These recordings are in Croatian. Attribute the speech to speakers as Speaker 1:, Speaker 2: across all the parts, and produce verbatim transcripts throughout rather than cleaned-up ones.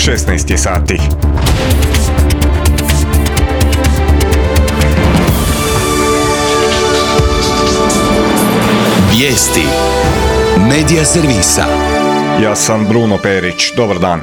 Speaker 1: šesnaest je sati.
Speaker 2: Vijesti Medija servisa.
Speaker 1: Ja sam Bruno Perić, dobar dan.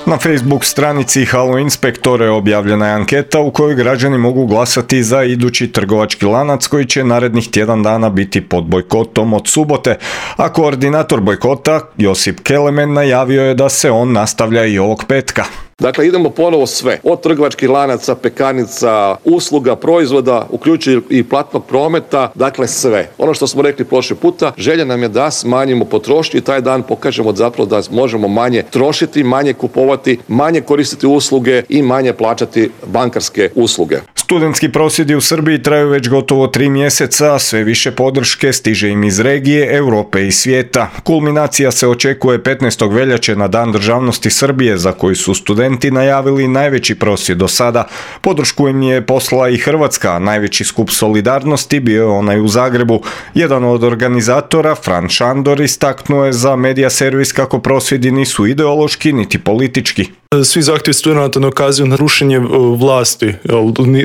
Speaker 1: Na Facebook stranici Halo Inspektore objavljena je anketa u kojoj građani mogu glasati za idući trgovački lanac koji će narednih tjedan dana biti pod bojkotom od subote, a koordinator bojkota Josip Kelemen najavio je da se on nastavlja i ovog petka.
Speaker 3: Dakle, idemo ponovo sve, od trgovačkih lanaca, pekarnica, usluga, proizvoda, uključujući i platnog prometa, dakle sve. Ono što smo rekli prošli puta, želja nam je da smanjimo potrošnju i taj dan pokažemo zapravo da možemo manje trošiti, manje kupovati, manje koristiti usluge i manje plaćati bankarske usluge.
Speaker 1: Studentski prosvjedi u Srbiji traju već gotovo tri mjeseca, sve više podrške stiže im iz regije, Europe i svijeta. Kulminacija se očekuje petnaestog veljače na Dan državnosti Srbije, za koji su studenti najavili najveći prosvjed do sada. Podršku im je poslala i Hrvatska, a najveći skup solidarnosti bio je onaj u Zagrebu. Jedan od organizatora, Fran Šandor, istaknuo je za Medija servis kako prosvjedi nisu ideološki niti politički.
Speaker 4: Svi zahtjevi studenata ne ukazuju na rušenje vlasti,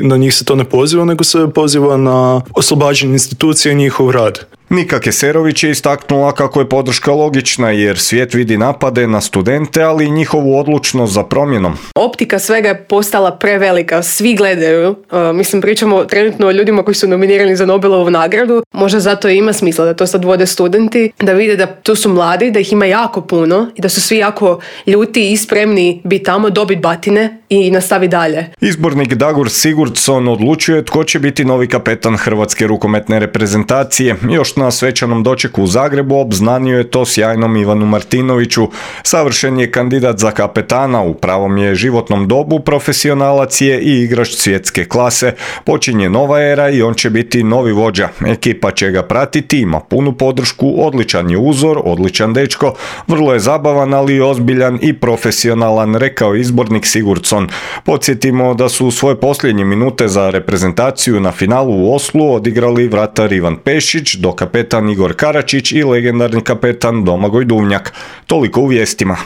Speaker 4: na njih se to ne poziva, nego se poziva na oslobađanje institucija i njihov rad.
Speaker 1: Nika Keserović je istaknula kako je podrška logična jer svijet vidi napade na studente, ali i njihovu odlučnost za promjenom.
Speaker 5: Optika svega je postala prevelika, svi gledaju. Uh, mislim, pričamo trenutno o ljudima koji su nominirani za Nobelovu nagradu. Možda zato i ima smisla da to sad vode studenti, da vide da tu su mladi, da ih ima jako puno i da su svi jako ljuti i spremni biti tamo, dobiti batine i nastavi dalje.
Speaker 1: Izbornik Dagur Sigurdsson odlučuje tko će biti novi kapetan hrvatske rukometne reprezentacije. Još na svečanom dočeku u Zagrebu obznanio je to sjajnom Ivanu Martinoviću. Savršen je kandidat za kapetana, u pravom je životnom dobu, profesionalac je i igrač svjetske klase. Počinje nova era i on će biti novi vođa. Ekipa će ga pratiti, ima punu podršku, odličan je uzor, odličan dečko, vrlo je zabavan, ali i ozbiljan i profesionalan, rekao izbornik Sigurdsson. Podsjetimo da su svoje posljednje minute za reprezentaciju na finalu u Oslu odigrali vratar Ivan Pešić, do kapetan Igor Karačić i legendarni kapetan Domagoj Duvnjak. Toliko u vijestima.